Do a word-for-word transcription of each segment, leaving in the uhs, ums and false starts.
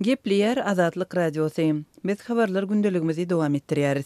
Gepleýär Azatlyk Radiosy. Biz habarlar gündeligimizi dowam etdirýäris.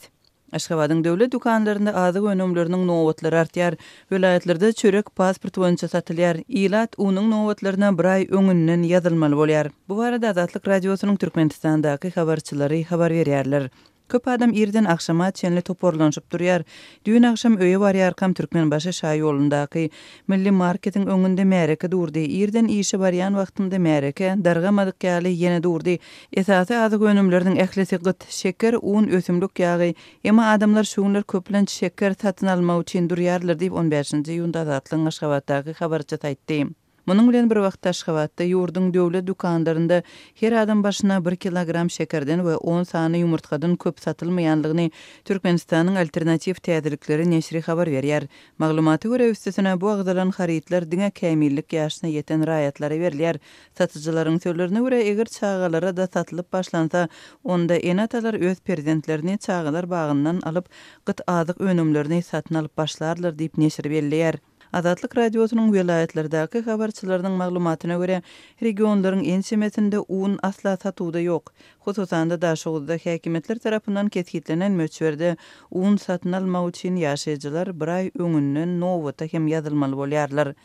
Aşgabadyň döwlet dükanlarynda azyk önümleriniň nobatlary artýar. Welaýatlarda çörek pasport boýunça satylýar. Ilat unuň nobatlaryna bir aý öňünden ýazylmaly bolýar. Bu barada Azatlyk Radiosynyň Türkmenistandaky habarçylary habar berýärler. Köp adam irden agşama çenli toparlanyşyp durýar. Düýn agşam öýe barýarkam Türkmenbaşy şaýolundaky Milli marketiň öňünde märeke durdy. Irden işe barýan wagtymda märeke dargamadyk ýaly ýene durdy. Esasy azyk önümleriniň ählisi gyt, şeker, un, ösümlik ýagy. Emma adamlar şu günler köplenç şeker satyn almak üçin durýarlar diýip, on bäşinji iýunda Azatlygyň Aşgabatdaky habarçysy aýtdy. Munuň bilen bir wagtda Aşgabatda ýurduň döwlet dükanlarynda her adam başyna bir kilogram şekerden we on sany ýumurtgadan köp satylmaýanlygyny Türkmenistanyň Alternatiw täzelikleri neşiri habar berýär. Maglumata görä, üstesine bu agzalan harytlar diňe kämillik ýaşyna ýeten raýatlara berilýär. Satyjylaryň sözlerine görä, eger çagalara-da satylyp başlansa, onda ene-atalar öz perzentlerini çagalar bagyndan alyp, gyt azyk önümlerini satyn alyp başlarlar diýip, neşir belleýär. Azatlyk Radiosynyň welaýatlardaky habarçylarynyň maglumatyna görä, regionlaryň ençemesinde un asla satuwda ýok. Hususan-da, Daşoguzda häkimiýetler tarapyndan kesgitlenen möçberde un satyn almak üçin ýaşaýjylar bir aý öňünden nobata hem ýazylmaly bolýarlar.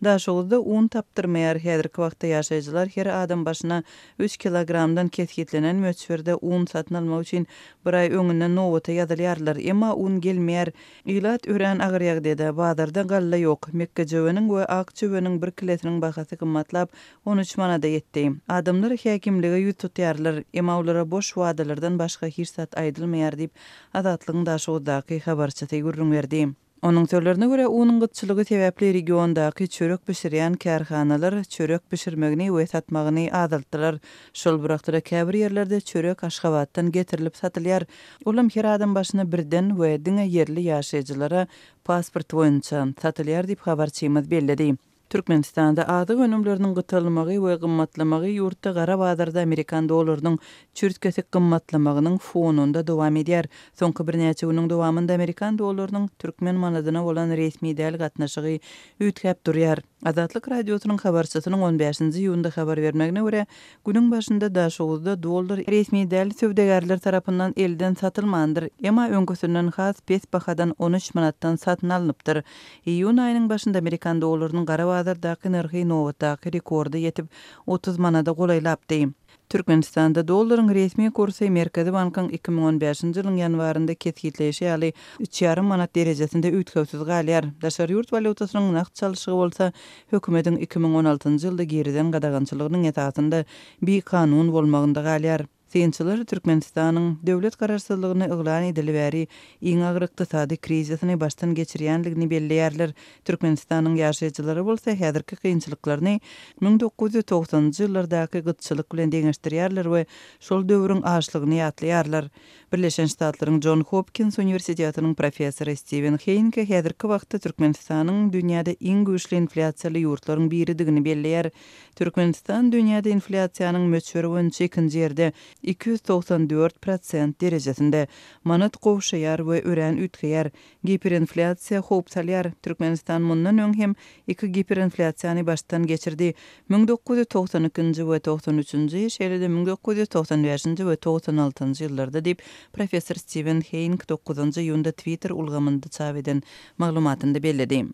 Daşoguzda un tapdyrmaýar. Häzirki wagtda ýaşaýjylar her adam başyna üç kilogramdan kesgitlenen möçberde un satyn almak üçin bir aý öňünden nobata ýazylýarlar. Emma un gelmeýär. Ilat örän agyr ýagdaýda, bazarda galla ýok. Mekgejöweniň we ak jöweniň bir kilesiniň bahasy gymmatlap, on üç manada ýetdi. Adamlar häkimlige ýüz tutýarlar, emma olara boş wadalardan başga hiç zat aýdylmaýar diýip, Azatlygyň Daşoguzdaky habarçysy gürrüň berdi. Onuň sözlerine görä, unuň gytçylygy sebäpli regiondaky çörek bişirýän kärhanalar çörek bişirmegini we satmagyny azaltdylar. Şol bir wagtda käbir ýerlerde çörek Aşgabatdan getirilip satylýar. Olam her adam başyna birden we diňe ýerli ýaşaýjylara pasport boýunça satylýar diýip, habarçymyz belledi. Türkmenistanda azyk önümleriniň gytalmagy we gymmatlamagy ýurtda gara bazarda amerikan dollarynyň çürt-kesik gymmatlamagynyň fonunda dowam edýär. Soňky birnäçe günüň dowamynda amerikan dollarynyň türkmen manadyna bolan resmi däl gatnaşygy üýtgäp durýar. Azatlyk Radiosynyň habarçysynyň on bäşinji iýunda habar bermegine görä, günüň başynda Daşoguzda dollar resmi däl söwdagärler tarapyndan elden satylmandyr, emma öňküsinden has pes bahadan on üç manatdan satyn alnypdyr. Iýun aýynyň başynda amerikan dollarynyň gara bazardaky nyrhy nobatdaky rekorda ýetip, otuz manada golaýlapdy. Türkmenistanda dollaryň resmi kursy Merkezi bankyň iki müň on bäşinji ýylyň ýanwarynda kesgitleýşi ýaly üç ýarym manat derejesinde üýtgewsiz galýar. Daşary ýurt walýutasynyň nagt çalşygy bolsa hökümetiň iki müň on altynjy ýylda girizen gadagançylygynyň esasynda bikanun bolmagynda galýar. Synçylar Türkmenistanyň döwlet garaşsyzlygyny yglan edili bäri iň agyr ykdysady krizisini başdan geçirýänligini belleýärler. Türkmenistanyň ýaşaýjylary bolsa häzirki kynçylyklaryny müň dokuz ýüz togsanynjy ýyllardaky gytçylyk bilen deňeşdirýärler we şol döwrüň açlygyny ýatlaýarlar. Birleşen Ştatlaryň John Hopkins uniwersitetiniň professory Steven Heýnke häzirki wagtda Türkmenistanyň dünýäde iň güýçli inflýasiýaly ýurtlaryň biridigini belleýär. Türkmenistan dünýäde inflýasiýanyň möçberi boýunça ikinji ýerde iki ýüz togsan dört prosent derejesinde. Manat gowşaýar we örän üýtgeýär. Giperinflýasiýa howp salýar. Türkmenistan mundan öň hem iki giperinflýasiýany başdan geçirdi. Müň dokuz ýüz togsan ikinji we togsan üçünji, şeýle-de müň dokuz ýüz togsan bäşinji we togsan altynjy ýyllarda diýip, professor Steven Heýnk dokuzynjy iýunda Twitter ulgamynda çap eden maglumatynda belledi.